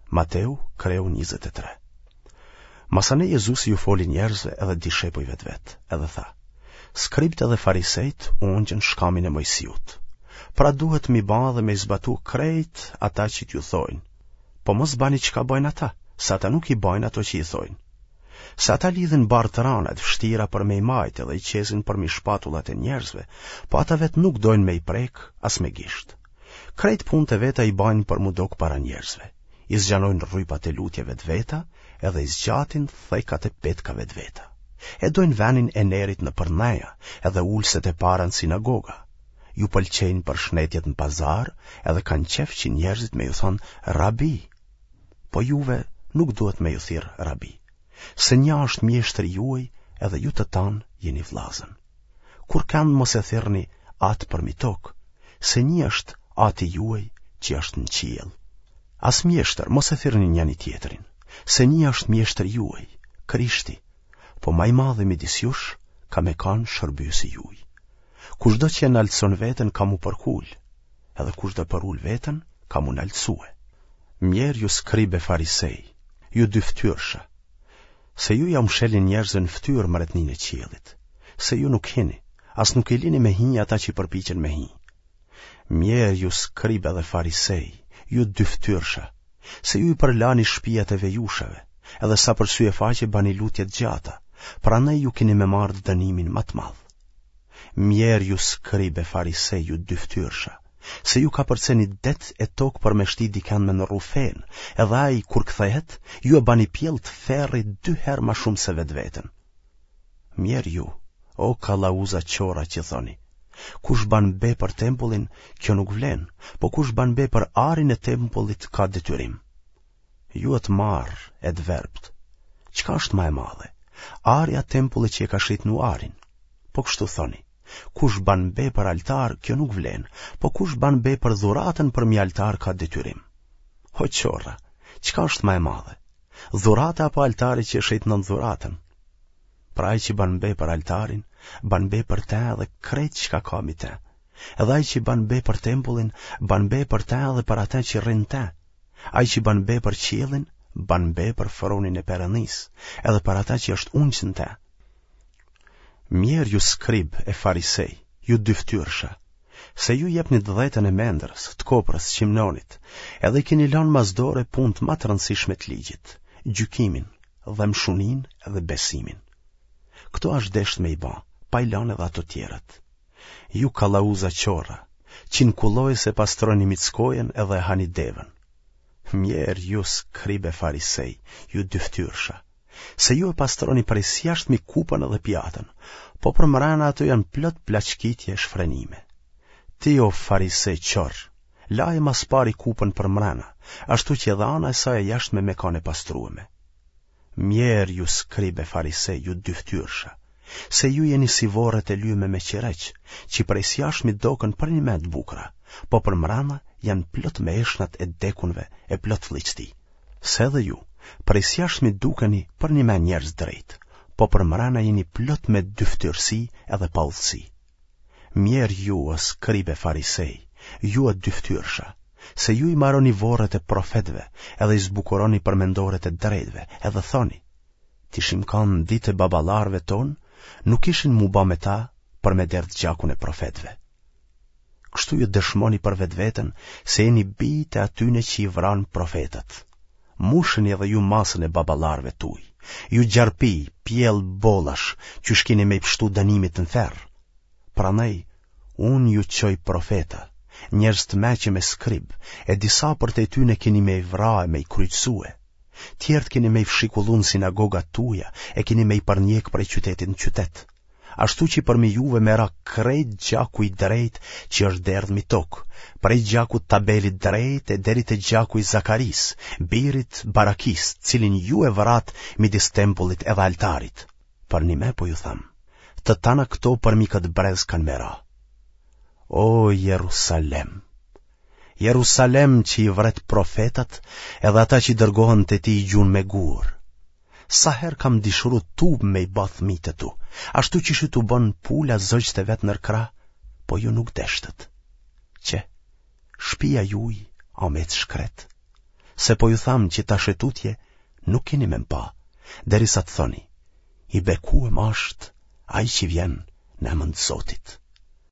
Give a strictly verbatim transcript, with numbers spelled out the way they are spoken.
Mateu, kreu njëzet e tre. Masanej Jezusi ju foli njerëzve edhe dishepujve të vet, edhe tha: Skribët edhe farisejt u ungjën shkamin e Moisiut. Pra duhet m'i ba dhe me i zbatu krejt ata që t'ju thojnë. Po mos bani çka bajnë ata, se ata nuk i bajnë ato që i thojnë. Se ata lidhin barrë të rana e të vështira për me i majtë edhe i qesin përmi shpatullat e njerëzve, po ata vetë nuk dojnë me i prek as me gisht. Krejt punët e veta i bajnë për m'u dok para njerëzve. I zgjanojnë rrypat e lutjeve të veta, edhe i zgjatin thekat e petkave të veta. E dojnë venin e nerit nëpër ndeja, edhe ulëset e para në sinagoga. Ju pëlqejnë përshnetjet në pazar, edhe kanë qef që njerëzit me ju thonë rabi. Po juve nuk duhet me ju thirr rabi, se nja është mjeshtri juaj edhe ju të tanë jeni vllazën. Kurrkënd mos e thirrni atë përmi tokë, se një është ati juaj që është në qiell. As mjeshtër mos e thirrni njani tjetrin, se një është mjeshtri juaj, Krishti, po ma i madhi midis jush ka me kanë shërbyesi juaj. Kushdo që e naltëson veten ka m'u përkul, edhe kushdo përul veten ka m'u naltësue. Mjerë ju skribë e farisej, ju dyftyrsha, se ju jau mshelni njerëzve në fytyrë mbretninë e qiellit, se ju nuk hini, as nuk i lini me hi ata që përpiqen me hi. Mjerë ju skribë edhe farisej, ju dyftyrsha, se ju i përlani shpijat e vejushave, edhe sa për sy e faqe bani lutje të gjata, prandaj ju keni me marrë dënimin ma të madh. Mjerë ju skribë e farisej, ju dyftyrsha, se ju kapërceni det e tokë për me shti dikend me ndrru fenë, edhe ai kur kthehet, ju e bani pjellë të ferrit dy herë ma shumë se vetveten. Mjerë ju, o kallauza qorra që thoni, kush ban be për tempullin, kjo nuk vlen, po kush ban be për arin e tempullit ka detyrim. Ju të marrë e të verbët, çka është ma e madhe? Ari a tempulli që e ka shejtnu arin. Po kështu thoni, kush ban be për altar, kjo nuk vlen, po kush ban be për dhuratën përmi altar ka detyrim. O qorra, çka është ma e madhe? Dhurata apo altari që e shejtnon dhuratën? Pra ai që ban be për altarin, ban be për te edhe krejt çka ka mi te. Edhe ai që ban be për tempullin, ban be për te edhe për ate që rrin te. Ai që ban be për qiellin, ban be për fronin e Perëndisë, edhe për ata që është ungjë në te. Mjerë ju skribë e farisej, ju dyftyrsha, se ju jepni të dhjetën e mendrës, të koprës, qimnonit, edhe i keni lënë mas dore punët ma të rëndësishme të ligjit, gjykimin, dhembshuninë edhe besimin. Këto asht desht me i ba, pa i lënë edhe ato tjerat. Ju kallauza qorra, që në kullojës e pastroni mickojën edhe e hani devën. Mjerë ju skribë e farisej, ju dyftyrsha, se ju e pastroni prej s'jashtmi kupën edhe pjatën, po për mrena ato janë plot plaçkitje e shfrenime. Ti o farise qorr, laje mas pari kupën për mrena, ashtu që edhe ana e saj e jashtme me kanë e pastrueme. Mjerë ju skribë e farisej, ju dyftyrsha, se ju jeni si vorret e lyme me qireq, që prej s'jashtmi doken përnjëmend të bukura, po për mrena janë plot me eshtnat e dekunve e plot flliqti. Se edhe ju, prej s'jashtmi dukeni përnjëmend njerëz drejt, po për mrena jeni plot me dyftyrësi edhe paudhësi. Mjerë ju, o skribë e farisej, ju o dyftyrsha, se ju i maroni vorret e profetëve edhe i zbukuroni përmendoret e drejtëve, edhe thoni, t'ishim kanë ditë e baballarëve tonë, nuk ishin mu ba me ta për me derdh gjakun e profetëve. Kështu ju dëshmoni për vetveten se jeni bijtë e atyne që i vranë profetët. Musheni edhe ju masën e baballarëve tuaj. Ju gjarpi, pjellë bollash, që shkini me i pështu dënimit në ferr. Prandaj, unë ju çoj profeta, njerëz të meqëm e skrib, e disa prej tyne keni me i vra e me i kryqëzue. Tjerët keni me i fshikullu në sinagogat tuja, e keni me i përnjek prej qytetit në qytet. Ashtu që përmi juve me ra krejt gjaku i drejt që është derdh mi tokë, prej gjakut t'Abelit drejt e deri te gjaku i Zakarisë, birit Barakis, cilin ju e vratë midis tempullit edhe altarit. Përnime po ju them, të tana këto përmi këtë brez kanë me ra. O Jerusalem, Jerusalem që i vret profetat edhe ata që dërgohen te ti i gjun me gur. Sa herë kam dëshiru tub me i ba fëmijët e tu, ashtu qysh i tubon pula zogjtë e vet nër krah, po ju nuk deshtët. Qe, shpia juj a met shkret. Se po ju tham që tash e tutje nuk keni me m'pa, derisa të thoni, i bekuem asht ai që vjen në emën të Zotit.